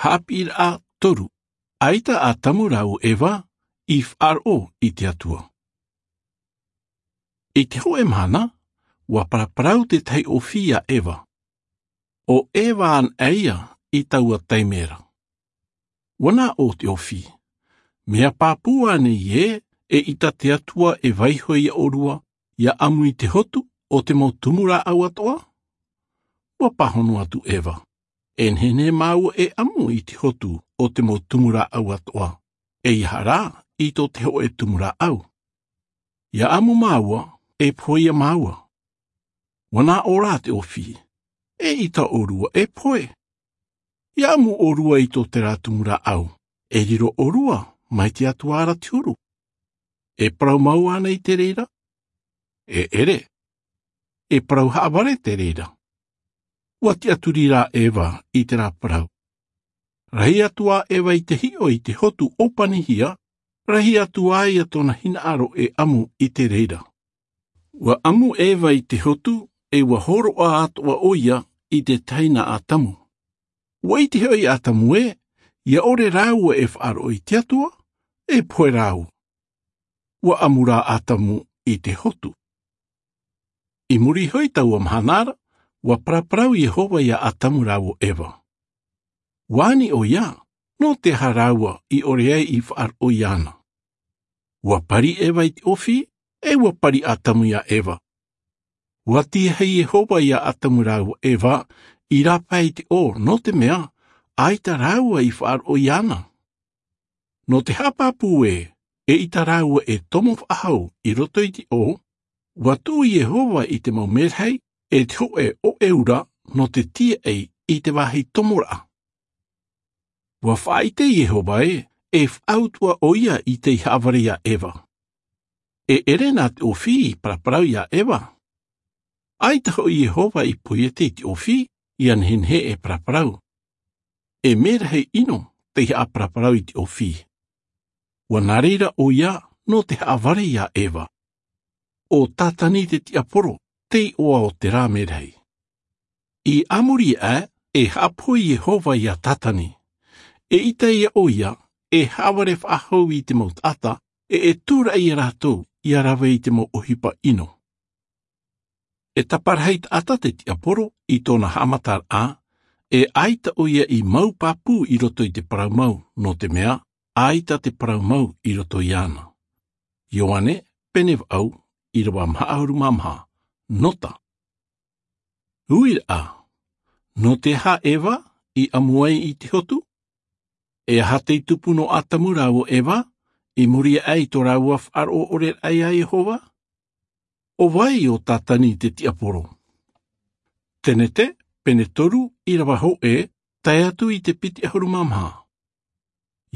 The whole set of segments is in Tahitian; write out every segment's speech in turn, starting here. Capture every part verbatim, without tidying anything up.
Haʻapiʻiraʻa toru. ʻAita ʻo ʻātamu rāua ʻo eva i faʻaroʻo i te atua. I te hoʻe mahana, ua paraparau te tahi ʻōfī iā eva. ʻO eva anaʻe ia i taua taime ra. Ua nā ʻō te ʻōfī, mea pāpū ānei ē eʻita te atua e vaiiho iā ʻōrua ia ʻamu i te hotu o te mau tumu rāʻau atoʻa? Ua pāhono atu eva, e nehenehe māua e ʻamu i te hotu o te mau tumu rāʻau atoʻa, ʻeiaha rā i tō te hoʻe tumu rāʻau. Ia ʻamu māua, e pohe ia māua. Ua nā ʻō rā te ʻōfī, eʻita ʻōrua e pohe. Ia ʻamu ʻōrua i tō terā tumu rāʻau, e riro ʻōrua mai te atua ra te huru. E parau mau ānei te reira? E ʻere. E parau haʻavare te reira. Ua tiʻaturi rā eva i terā parau. Rahi atu ā eva i te hiʻo i te hotu ʻōpanihia, rahi atu ā ia tōna hinaʻaro e ʻamu i te reira. Ua ʻamu eva i te hotu, e ua hōroʻa atoʻa ʻoia i te tahi nā ʻātamu. Ua ʻite hoʻi ʻātamu ē ia ʻore rāua e faʻaroʻo i te atua, e pohe rāua. Ua ʻamu rā ʻātamu i te hotu. I muri iho i taua mahana ra, ua paraparau iehova iā ʻātamu rāua ʻo eva. Ua ani ʻoia, nō te aha rāua i ʻore ai i faʻaroʻo iāna? Ua pari eva i te ʻōfī, e ua pari ʻātamu iā eva. Ua tiahi iehova iā ʻātamu rāua ʻo eva i rāpae i te ʻō, nō te mea ʻaita rāua i faʻaroʻo iāna. Nō te haʻapāpū ē eʻita rāua e tomo faʻahou i roto i te ʻō, ua tuʻu iehova i te mau merahi e te hoʻe ʻoʻeura nō te tīaʻi i te vāhi tomoraʻa. Ua faʻaʻite iehova ē e faʻautuʻa ʻoia i tei haʻavare iā eva. E ʻere nā te ʻōfī i paraparau iā eva. ʻAita hoʻi iehova i poiete i te ʻōfī ia nehenehe e paraparau. E merahi ʻino tei haʻaparaparau i te ʻōfī. Ua nā reira ʻoia nō te haʻavare iā eva. ʻO tātani te tiaporo te iʻoa o terā merahi. I muri aʻe e haʻapohe iehova iā tātani, eʻita ia ʻoia e haʻavare faʻahou i te mau taʻata, e e tūraʻi iā rātou ia rave i te mau ʻohipa ʻino. E taparahi taʻata te tiaporo i tōna haʻamataraʻa, e ʻaita ʻoia i mau pāpū i roto i te parau mau, nō te mea ʻaita te parau mau i roto iāna. Ioane, pene vaʻu, ʻīrava maha ʻahuru mā maha. Nota. Uiraʻa. Nō te aha eva i ʻamu ai i te hotu? E aha tei tupu nō ʻātamu rāua ʻo eva i muri aʻe i tō rāua faʻaroʻo ʻore raʻa iā iehova? ʻO vai ʻo tātani te tiaporo? Tenete, pene toru, ʻīrava hōʻē, tae atu i te piti ʻahuru mā maha.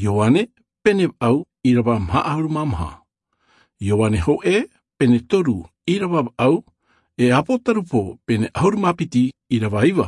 Ioane, pene vaʻu, ʻīrava maha ʻahuru mā maha. Ioane hōʻē, pene toru, ʻīrava vaʻu. E ʻāpōtarupo, pene ʻahuru mā piti, ʻīrava iva.